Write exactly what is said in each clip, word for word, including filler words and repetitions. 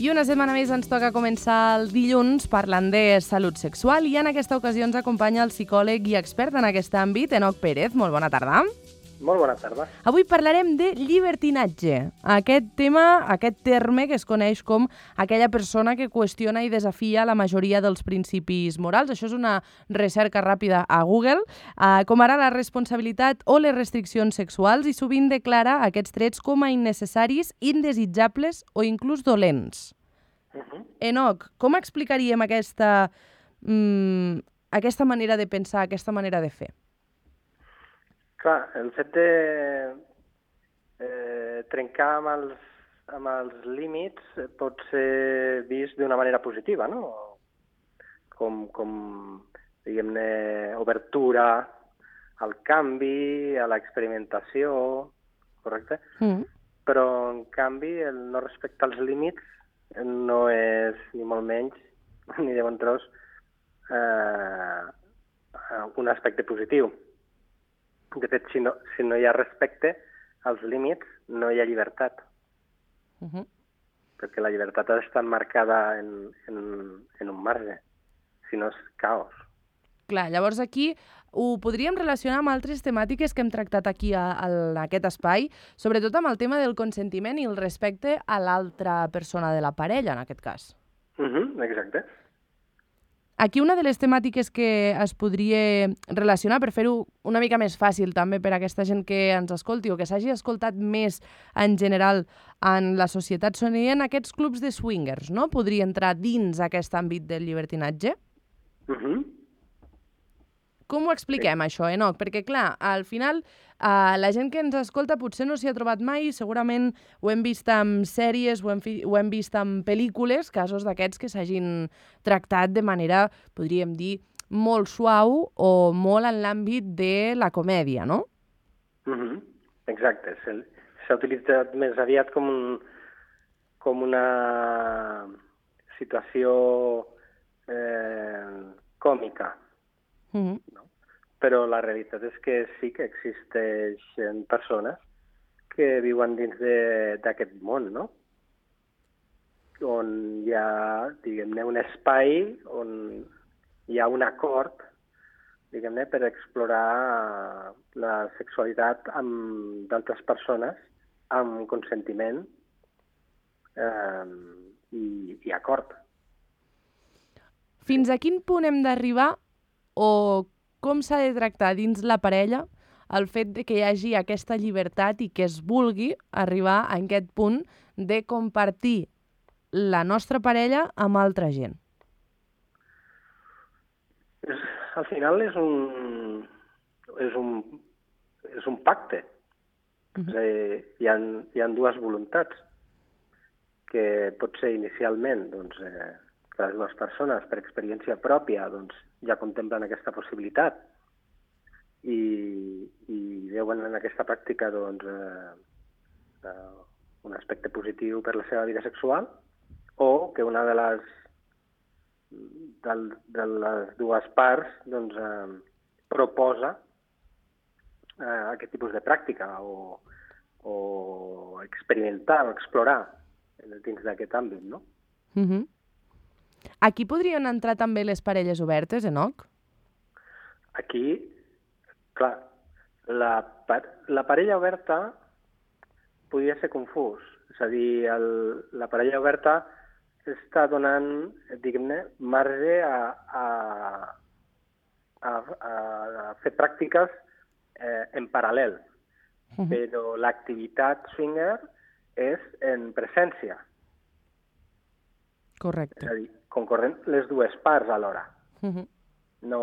I una setmana més ens toca començar el dilluns parlant de salut sexual i en aquesta ocasió ens acompanya el psicòleg i expert en aquest àmbit, Enoc Pérez. Molt bona tarda. Molt bona tarda. Avui parlarem de llibertinatge. Aquest tema, aquest terme que es coneix com aquella persona que qüestiona i desafia la majoria dels principis morals. Això és una recerca ràpida a Google, eh, com ara la responsabilitat o les restriccions sexuals, i sovint declara aquests trets com a innecessaris, indesitjables o inclús dolents. Uh -huh. Enoc, com explicaríem aquesta, mm, aquesta manera de pensar, aquesta manera de fer? Clar, el fet de eh, trencar amb els, amb els límits pot ser vist d'una manera positiva, no? Com, com diguem-ne, obertura al canvi, a l'experimentació, correcte? Mm. Però, en canvi, el no respectar els límits no és, ni molt menys, ni de bon tros, eh, un aspecte positiu. De fet, si no, si no hi ha respecte als límits, no hi ha llibertat. Uh -huh. Perquè la llibertat ha d'estar marcada en, en, en un marge. Si no, és caos. Clar, llavors aquí ho podríem relacionar amb altres temàtiques que hem tractat aquí a, a aquest espai, sobretot amb el tema del consentiment i el respecte a l'altra persona de la parella, en aquest cas. Uh -huh, exacte. Aquí una de les temàtiques que es podria relacionar, per fer-ho una mica més fàcil també per a aquesta gent que ens escolti o que s'hagi escoltat més en general en la societat, serien aquests clubs de swingers, no? Podria entrar dins aquest àmbit del llibertinatge? Uh -huh. Com ho expliquem, sí. això, Enoc? Perquè, clar, al final, eh, la gent que ens escolta potser no s'hi ha trobat mai, segurament ho hem vist en sèries, ho hem, fi ho hem vist en pel·lícules, casos d'aquests que s'hagin tractat de manera, podríem dir, molt suau o molt en l'àmbit de la comèdia, no? Uh -huh. Exacte. S'ha utilitzat més aviat com, un, com una situació eh, còmica. Uh -huh. No? Però la realitat és que sí que existeixen persones que viuen dins d'aquest món, no? On hi ha, diguem-ne, un espai on hi ha un acord, diguem-ne, per explorar la sexualitat amb d'altres persones amb consentiment eh, i, i acord. Fins a quin punt hem d'arribar o com s'ha de tractar dins la parella el fet de que hi hagi aquesta llibertat i que es vulgui arribar a aquest punt de compartir la nostra parella amb altra gent? És, al final és un, és un, és un pacte. Uh -huh. És a dir, hi ha, hi ha dues voluntats que pot ser inicialment doncs, eh, que les dues persones, per experiència pròpia, doncs, ja contemplen aquesta possibilitat i, i veuen en aquesta pràctica doncs, eh, eh, un aspecte positiu per la seva vida sexual, o que una de les, de, de les dues parts doncs, eh, proposa eh, aquest tipus de pràctica o, o experimentar o explorar dins d'aquest àmbit, no? Uh -huh. Aquí podrien entrar també les parelles obertes, Enoc? Aquí, clar, la, la parella oberta podria ser confús. És a dir, el, la parella oberta està donant, diguem-ne, marge a, a, a, a fer pràctiques eh, en paral·lel. Uh-huh. Però l'activitat swinger és en presència. Correcte. És a dir, concorren les dues parts alhora. Uh-huh. No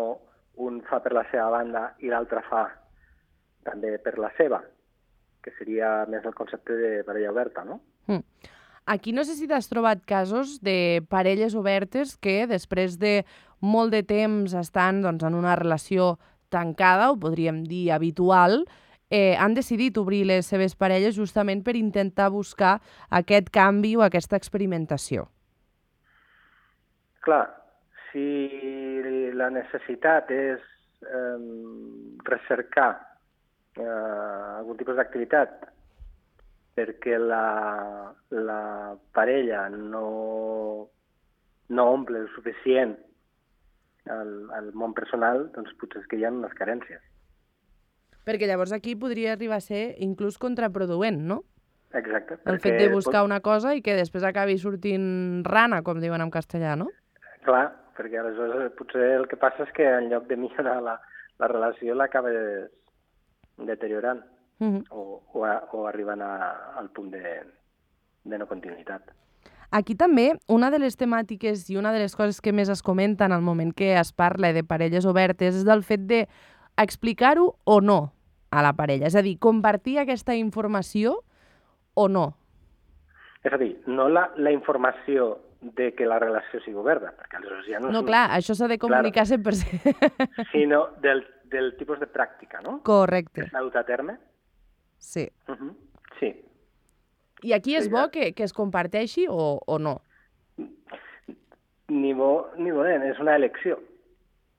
un fa per la seva banda i l'altre fa també per la seva, que seria més el concepte de parella oberta, no? Mm. Aquí no sé si t'has trobat casos de parelles obertes que després de molt de temps estan doncs, en una relació tancada, o podríem dir habitual, eh, han decidit obrir les seves parelles justament per intentar buscar aquest canvi o aquesta experimentació. Clar, si la necessitat és eh, recercar eh, algun tipus d'activitat perquè la, la parella no, no omple el suficient el, el món personal, doncs potser és que hi ha unes carències. Perquè llavors aquí podria arribar a ser inclús contraproduent, no? Exacte. El fet de buscar una cosa i que després acabi sortint rana, com diuen en castellà, no? Clar, perquè aleshores potser el que passa és que en lloc de millorar la, la relació l'acabes deteriorant Uh -huh. o, o, a, o arribant a, al punt de, de no continuïtat. Aquí també, una de les temàtiques i una de les coses que més es comenta en el moment que es parla de parelles obertes és del fet de explicar-ho o no a la parella. És a dir, compartir aquesta informació o no. És a dir, no la, la informació de que la relació sigui oberta, perquè aleshores ja no... No, és un... clar, això s'ha de comunicar Claro. cent per cent. Sinó del, del tipus de pràctica, no? Correcte. Que s'ha dut a terme. Sí. Uh -huh. Sí. I aquí és Sí, bo ja. que, que es comparteixi o, o no? Ni bo ni dolent, és una elecció.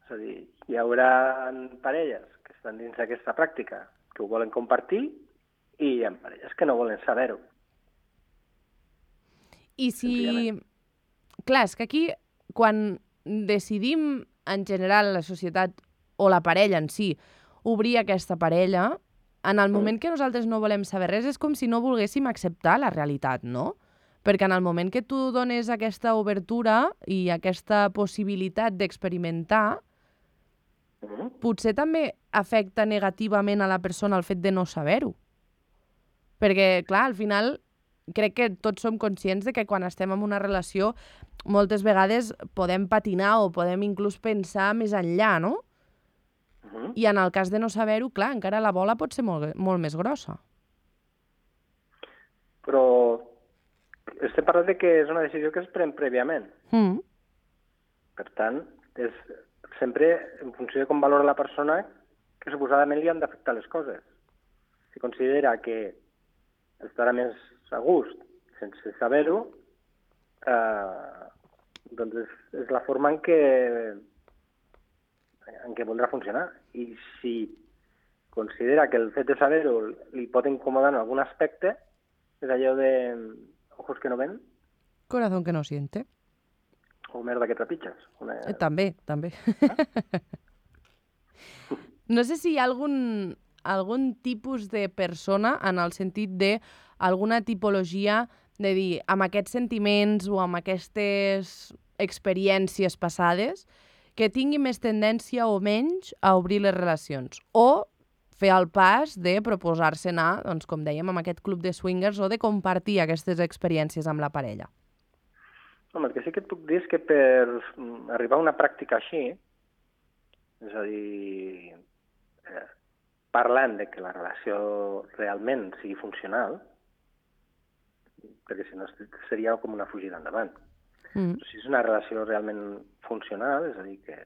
És a dir, hi haurà parelles que estan dins d'aquesta pràctica que ho volen compartir i hi ha parelles que no volen saber-ho. I si... Clar, és que aquí, quan decidim en general la societat o la parella en si obrir aquesta parella, en el moment que nosaltres no volem saber res és com si no volguéssim acceptar la realitat, no? Perquè en el moment que tu dones aquesta obertura i aquesta possibilitat d'experimentar, Mm-hmm. potser també afecta negativament a la persona el fet de no saber-ho. Perquè, clar, al final crec que tots som conscients de que quan estem en una relació moltes vegades podem patinar o podem inclús pensar més enllà, no? Mm-hmm. I en el cas de no saber-ho, clar, encara la bola pot ser molt, molt més grossa. Però estem parlant de que és una decisió que es pren prèviament. Mm. Per tant, és sempre en funció de com valora la persona que suposadament li han d'afectar les coses. Si considera que estarà més a gust sense saber-ho, eh, doncs és, és la forma en què, en què voldrà funcionar. I si considera que el fet de saber-ho li pot incomodar en algun aspecte, és allò de ojos que no ven Corazón que no siente. o merda que trepitges. Una... Eh, també, també. No sé si hi ha algun, algun tipus de persona en el sentit de alguna tipologia de dir, amb aquests sentiments o amb aquestes experiències passades, que tingui més tendència o menys a obrir les relacions. O fer el pas de proposar-se anar, doncs, com dèiem, amb aquest club de swingers o de compartir aquestes experiències amb la parella. Home, el que sí que et puc dir és que per arribar a una pràctica així, és a dir, eh, parlant de que la relació realment sigui funcional, perquè si no seria com una fugida endavant. Mm. Si és una relació realment funcional, és a dir, que,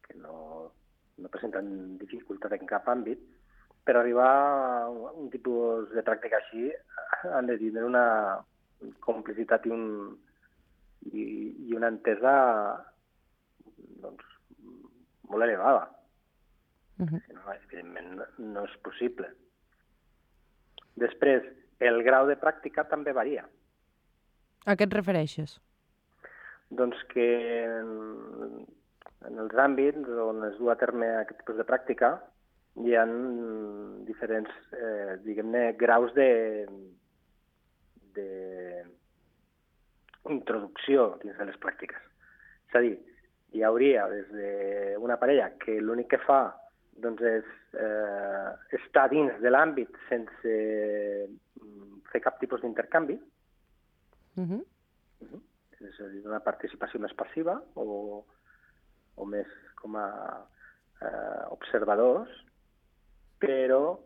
que no, no presenten dificultat en cap àmbit, per arribar a un tipus de pràctica així han de tindre una complicitat i, un, i, i una entesa doncs, molt elevada. Mm-hmm. Si no, evidentment, no, no és possible. Després, el grau de pràctica també varia. A què et refereixes? Doncs que en, en els àmbits on es du a terme aquest tipus de pràctica hi ha diferents, eh, diguem-ne, graus de, de introducció dins de les pràctiques. És a dir, hi hauria des d'una parella que l'únic que fa doncs, és eh, estar dins de l'àmbit sense fer cap tipus d'intercanvi, Mm-hmm. uh-huh. És a dir, una participació més passiva o, o més com a eh, observadors, però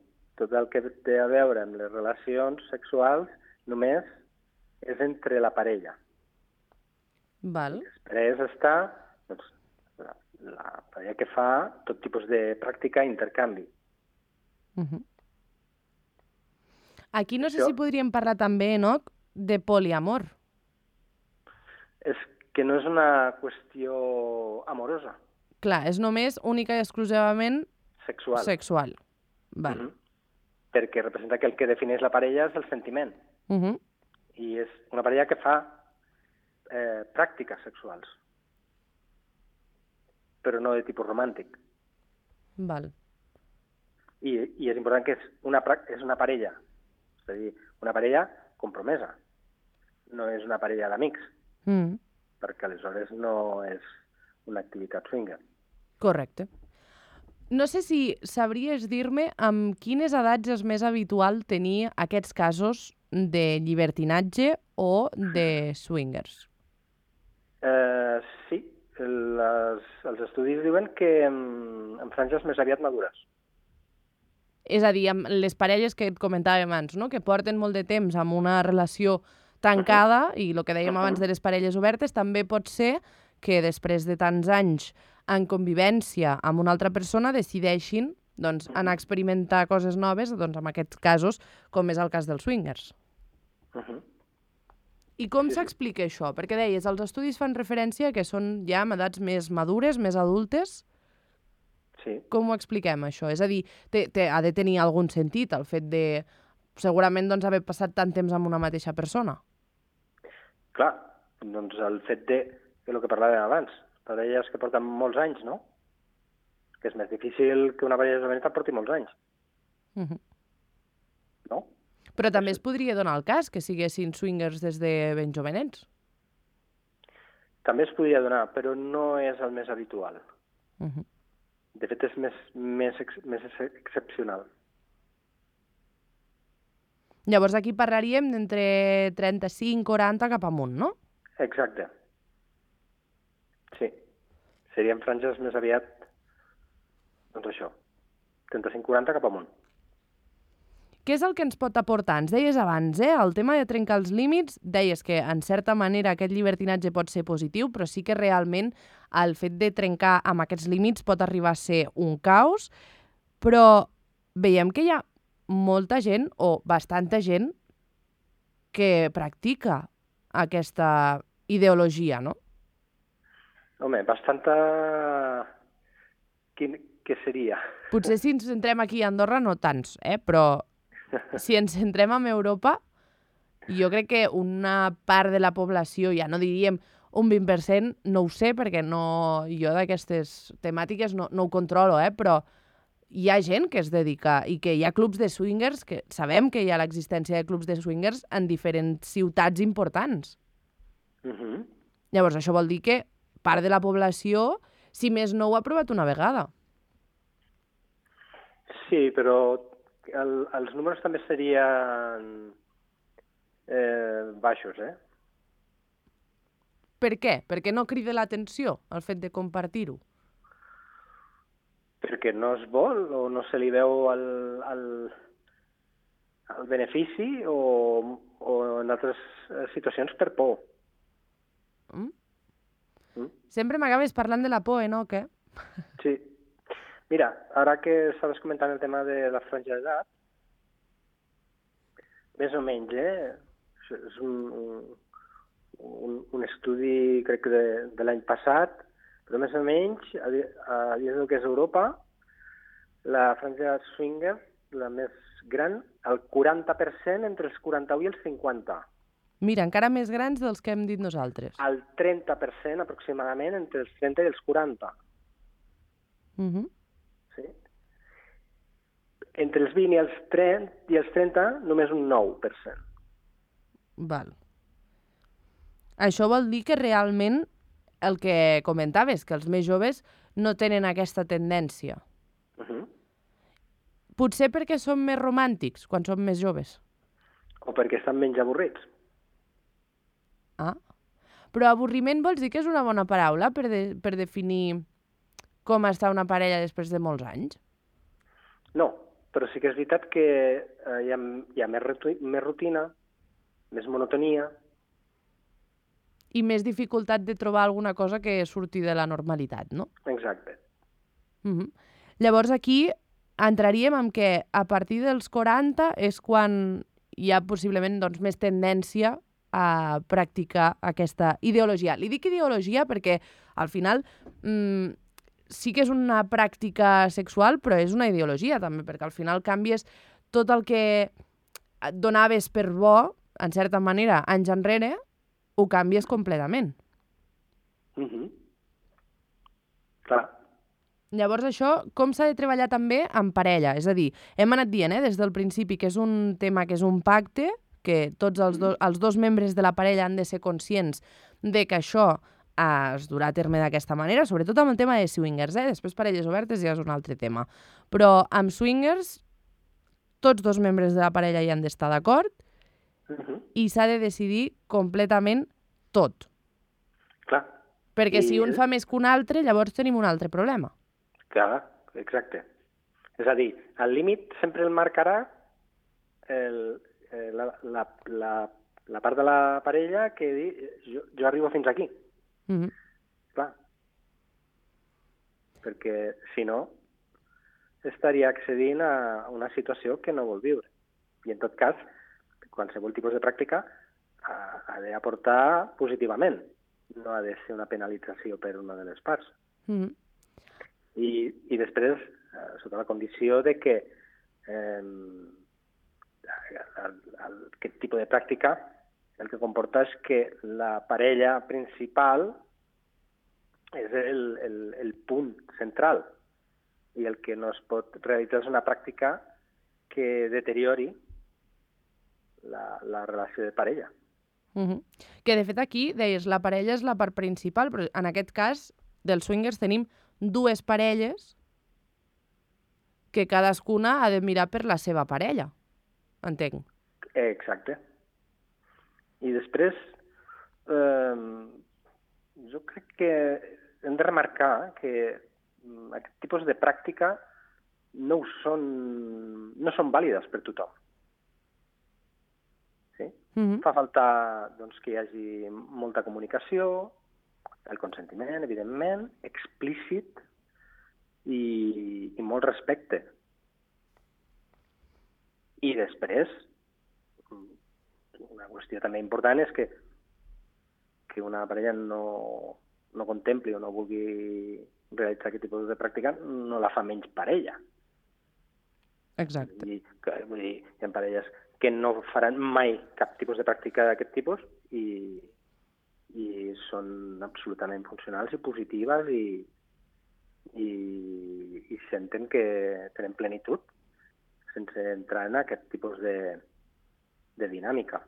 tot el que té a veure amb les relacions sexuals només és entre la parella. Val. Després està doncs, la, la parella que fa tot tipus de pràctica i intercanvi. Mm-hmm. Aquí no sé Això- si podríem parlar també, Enoch, de poliamor. És que no és una qüestió amorosa, Clar, és només única i exclusivament sexual. sexual. Val. Mhm. perquè representa que el que defineix la parella és el sentiment. Uh -huh. I és una parella que fa eh, pràctiques sexuals, però no de tipus romàntic. Val. I, i és important que és una, és una parella, és a dir, una parella compromesa, no és una parella d'amics, Mm. perquè aleshores no és una activitat swinger. Correcte. No sé si sabries dir-me amb quines edats és més habitual tenir aquests casos de llibertinatge o de swingers. Eh, sí, les, els estudis diuen que en, en franges més aviat madures. És a dir, amb les parelles que et comentàvem abans, no? Que porten molt de temps amb una relació tancada, uh-huh. i el que dèiem uh-huh. abans de les parelles obertes, també pot ser que després de tants anys en convivència amb una altra persona decideixin doncs, anar a experimentar coses noves, doncs, en aquests casos, com és el cas dels swingers. Uh-huh. I com sí. s'explica això? Perquè deies, els estudis fan referència que són ja amb edats més madures, més adultes. Sí. Com ho expliquem, això? És a dir, té, té, ha de tenir algun sentit el fet de, segurament, doncs, haver passat tant temps amb una mateixa persona. Clar, doncs el fet de, que el que parlàvem abans, parelles que porten molts anys, no? Que és més difícil que una parella joveneta porti molts anys. Uh-huh. No? Però també es podria donar el cas que siguessin swingers des de ben jovenets. També es podria donar, però no és el més habitual. Uh-huh. De fet, és més, més, més excepcional. Llavors aquí parlaríem d'entre trenta-cinc quaranta cap amunt, no? Exacte. Sí. Serien franges més aviat, doncs això, trenta-cinc quaranta cap amunt. Què és el que ens pot aportar? Ens deies abans, eh? El tema de trencar els límits, deies que en certa manera aquest llibertinatge pot ser positiu, però sí que realment el fet de trencar amb aquests límits pot arribar a ser un caos, però veiem que hi ha molta gent, o bastanta gent, que practica aquesta ideologia, no? Home, bastanta... Quin... Què seria? Potser si ens centrem aquí a Andorra no tants, eh? Però si ens centrem en Europa, jo crec que una part de la població, ja no diríem un vint per cent, no ho sé, perquè no, jo d'aquestes temàtiques no, no ho controlo, eh? Però hi ha gent que es dedica i que hi ha clubs de swingers, que sabem que hi ha l'existència de clubs de swingers en diferents ciutats importants. Uh-huh. Llavors, això vol dir que part de la població, si més no, ho ha provat una vegada. Sí, però el, els números també serien eh, baixos, eh? Per què? Perquè no crida l'atenció el fet de compartir-ho? Perquè no es vol o no se li veu el, el, el benefici o, o en altres situacions per por. Mm? Mm? Sempre m'acabes parlant de la por, eh, no? Què? Sí. Mira, ara que estaves comentant el tema de la franja d'edat, més o menys, eh? És un, un, un estudi, crec que de, de l'any passat, però més o menys, a, a dins del que és Europa, la franja swinger, la més gran, el quaranta per cent entre els quaranta-u i els cinquanta. Mira, encara més grans dels que hem dit nosaltres. El trenta per cent aproximadament entre els trenta i els quaranta. Uh-huh. Sí. Entre els vint i els trenta, i els trenta només un nou per cent. Val. Això vol dir que realment el que comentaves, que els més joves no tenen aquesta tendència. Uh-huh. Potser perquè són més romàntics quan són més joves. O perquè estan menys avorrits. Ah. Però avorriment vols dir que és una bona paraula per, de, per definir com està una parella després de molts anys? No, però sí que és veritat que eh, hi ha, hi ha més, ruti- més rutina, més monotonia. I més dificultat de trobar alguna cosa que surti de la normalitat, no? Exacte. Uh-huh. Llavors aquí entraríem en que a partir dels quaranta és quan hi ha possiblement doncs, més tendència a practicar aquesta ideologia. Li dic ideologia perquè al final mmm, sí que és una pràctica sexual, però és una ideologia també, perquè al final canvies tot el que et donaves per bo, en certa manera, anys enrere, ho canvies completament. Mm-hmm. Clar. Llavors, això, com s'ha de treballar també en parella? És a dir, hem anat dient eh, des del principi que és un tema que és un pacte, que tots els, do, els dos membres de la parella han de ser conscients de que això eh, es durà a terme d'aquesta manera, sobretot amb el tema de swingers, eh? Després parelles obertes ja és un altre tema. Però amb swingers, tots dos membres de la parella hi han d'estar d'acord, Uh-huh. i s'ha de decidir completament tot. Clar. Perquè I... si un fa més que un altre, llavors tenim un altre problema. Clar, exacte. És a dir, el límit sempre el marcarà el, eh, la, la, la, la part de la parella que di, jo, jo arribo fins aquí. Mm-hmm. Clar. Perquè, si no, estaria accedint a una situació que no vol viure. I, en tot cas, qualsevol tipus de pràctica ha, ha d'aportar positivament, no ha de ser una penalització per una de les parts. Mm-hmm. I, i després, eh, sota la condició de que eh, el, el, aquest tipus de pràctica el que comporta és que la parella principal és el, el, el punt central i el que no es pot realitzar és una pràctica que deteriori La, la relació de parella. Uh-huh. Que, de fet, aquí, deies, la parella és la part principal, però en aquest cas, dels swingers, tenim dues parelles que cadascuna ha de mirar per la seva parella. Entenc. Exacte. I després, eh, jo crec que hem de remarcar que aquest tipus de pràctica no, ho són, no són vàlides per tothom. Sí? Mm-hmm. Fa falta doncs, que hi hagi molta comunicació, el consentiment, evidentment, explícit i, i molt respecte. I després, una qüestió també important és que, que una parella no, no contempli o no vulgui realitzar aquest tipus de pràctica, no la fa menys parella. Exacte. I, que, vull dir, hi ha parelles que no faran mai cap tipus de pràctica d'aquest tipus i, i són absolutament funcionals i positives i, i, i senten que tenen plenitud sense entrar en aquest tipus de, de dinàmica.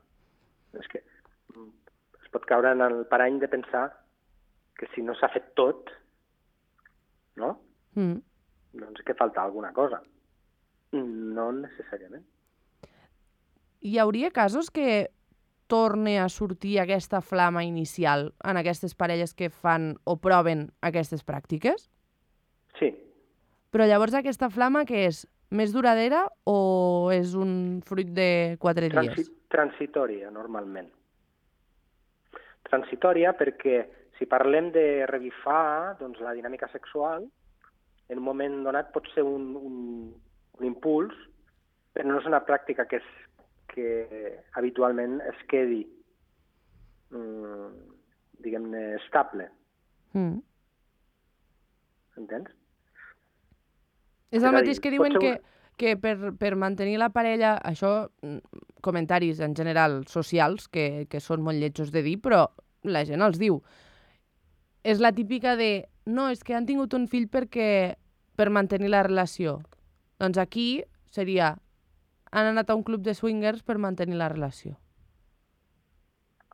És que es pot caure en el parany de pensar que si no s'ha fet tot, no? Mm. Doncs que falta alguna cosa. No necessàriament. Hi hauria casos que torni a sortir aquesta flama inicial en aquestes parelles que fan o proven aquestes pràctiques? Sí. Però llavors aquesta flama què és? Més duradera o és un fruit de quatre Transi dies? Transitòria, normalment. Transitòria perquè si parlem de revifar doncs, la dinàmica sexual, en un moment donat pot ser un, un, un impuls, però no és una pràctica que, és, que habitualment es quedi, mm, diguem-ne, estable. Mm. Entens? És el mateix que diuen que, que per, per mantenir la parella, això, comentaris en general socials, que, que són molt lletjos de dir, però la gent els diu. És la típica de, no, és que han tingut un fill perquè per mantenir la relació. Doncs aquí seria, han anat a un club de swingers per mantenir la relació.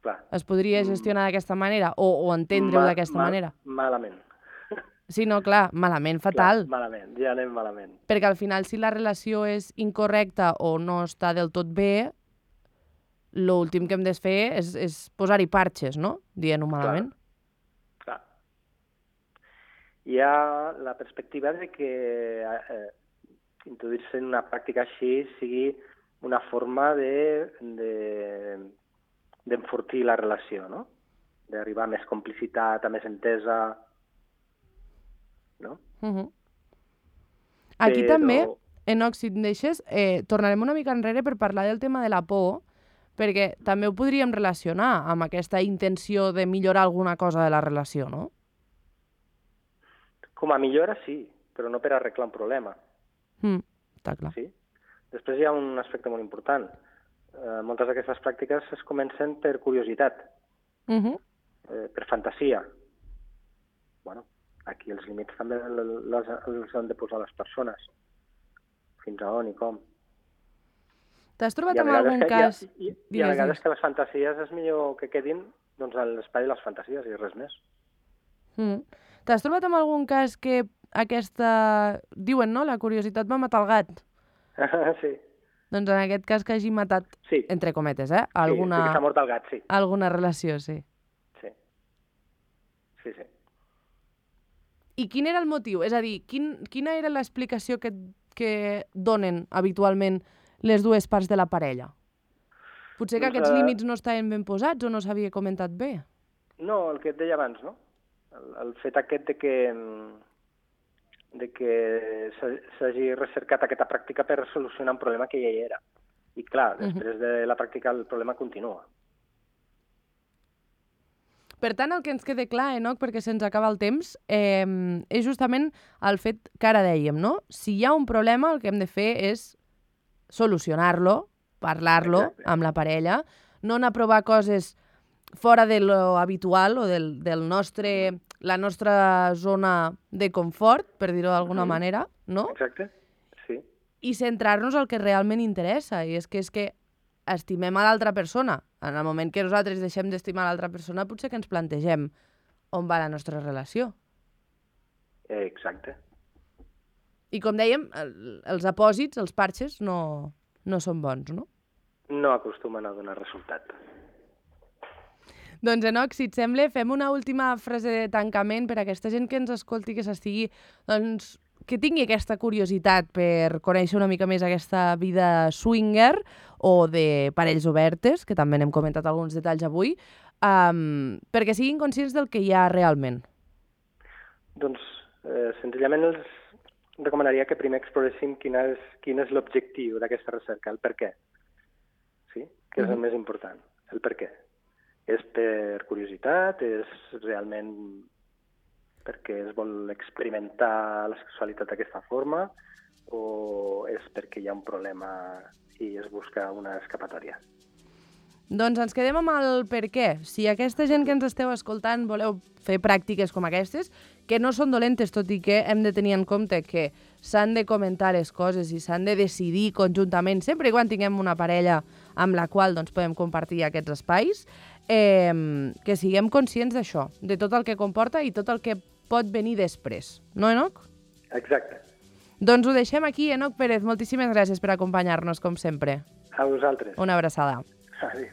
Clar. Es podria gestionar d'aquesta manera o, o entendre-ho Ma d'aquesta mal manera? Malament. Sí, no, clar, malament, fatal. Clar, malament, ja anem malament. Perquè al final, si la relació és incorrecta o no està del tot bé, l'últim que hem de fer és, és posar-hi parxes, no? Dient-ho malament. Clar. Clar. Hi ha la perspectiva de que eh, introduir-se en una pràctica així sigui una forma de, de, d'enfortir la relació, no? D'arribar a més complicitat, a més entesa, no? Uh -huh. Aquí Però... també, Enoch, si et deixes, eh, tornarem una mica enrere per parlar del tema de la por, perquè també ho podríem relacionar amb aquesta intenció de millorar alguna cosa de la relació, no? Com a millora, sí, però no per arreglar un problema. Mm, està clar. Sí? Després hi ha un aspecte molt important. Eh, moltes d'aquestes pràctiques es comencen per curiositat, Uh -huh. eh, per fantasia. Bueno, aquí els límits també les, els han de posar les persones. Fins a on i com. T'has trobat I a amb vegades algun que, cas... I, i, i a Digues, vegades digues. que les fantasies és millor que quedin doncs, a l'espai de les fantasies i res més. Mm. T'has trobat amb algun cas que aquesta... Diuen, no? La curiositat va matar el gat. Sí. Doncs en aquest cas que hagi matat, Sí. entre cometes, eh? Sí, Alguna, sí que s'ha mort el gat, sí. alguna relació, sí. Sí. Sí, sí. I quin era el motiu? És a dir, quin, quina era l'explicació que, que donen habitualment les dues parts de la parella? Potser que Doncs, aquests eh, límits no estaven ben posats o no s'havia comentat bé? No, el que et deia abans, no? El, el fet aquest de que, de que s'ha- s'hagi recercat aquesta pràctica per solucionar un problema que ja hi era. I clar, després de la pràctica el problema continua. Per tant, el que ens queda clar, Enoc, perquè se'ns acaba el temps, eh, és justament el fet que ara dèiem, no? Si hi ha un problema, el que hem de fer és solucionar-lo, parlar-lo Exacte. amb la parella, no anar a provar coses fora de lo habitual o del, del nostre, la nostra zona de confort, per dir-ho d'alguna Mhm. manera, no? Exacte, sí. I centrar-nos al que realment interessa, i és que és que estimem a l'altra persona. En el moment que nosaltres deixem d'estimar l'altra persona, potser que ens plantegem on va la nostra relació. Eh, Exacte. I com dèiem, el, els apòsits, els parxes, no, no són bons, no? No acostumen a donar resultat. Doncs, Enoc, si et sembla, fem una última frase de tancament per a aquesta gent que ens escolti, que s'estigui, doncs, que tingui aquesta curiositat per conèixer una mica més aquesta vida swinger o de parells obertes, que també n'hem comentat alguns detalls avui, um, perquè siguin conscients del que hi ha realment. Doncs, eh, senzillament els recomanaria que primer exploréssim quin és, quin és l'objectiu d'aquesta recerca, el per què. Sí? Que és el més important, el per què. És per curiositat, és realment perquè es vol experimentar la sexualitat d'aquesta forma o és perquè hi ha un problema i es busca una escapatòria? Doncs ens quedem amb el per què. Si aquesta gent que ens esteu escoltant voleu fer pràctiques com aquestes, que no són dolentes, tot i que hem de tenir en compte que s'han de comentar les coses i s'han de decidir conjuntament, sempre i quan tinguem una parella amb la qual doncs, podem compartir aquests espais, eh, que siguem conscients d'això, de tot el que comporta i tot el que pot venir després. No, Enoc? Exacte. Doncs ho deixem aquí, Enoc Pérez. Moltíssimes gràcies per acompanyar-nos, com sempre. A vosaltres. Una abraçada. Adéu.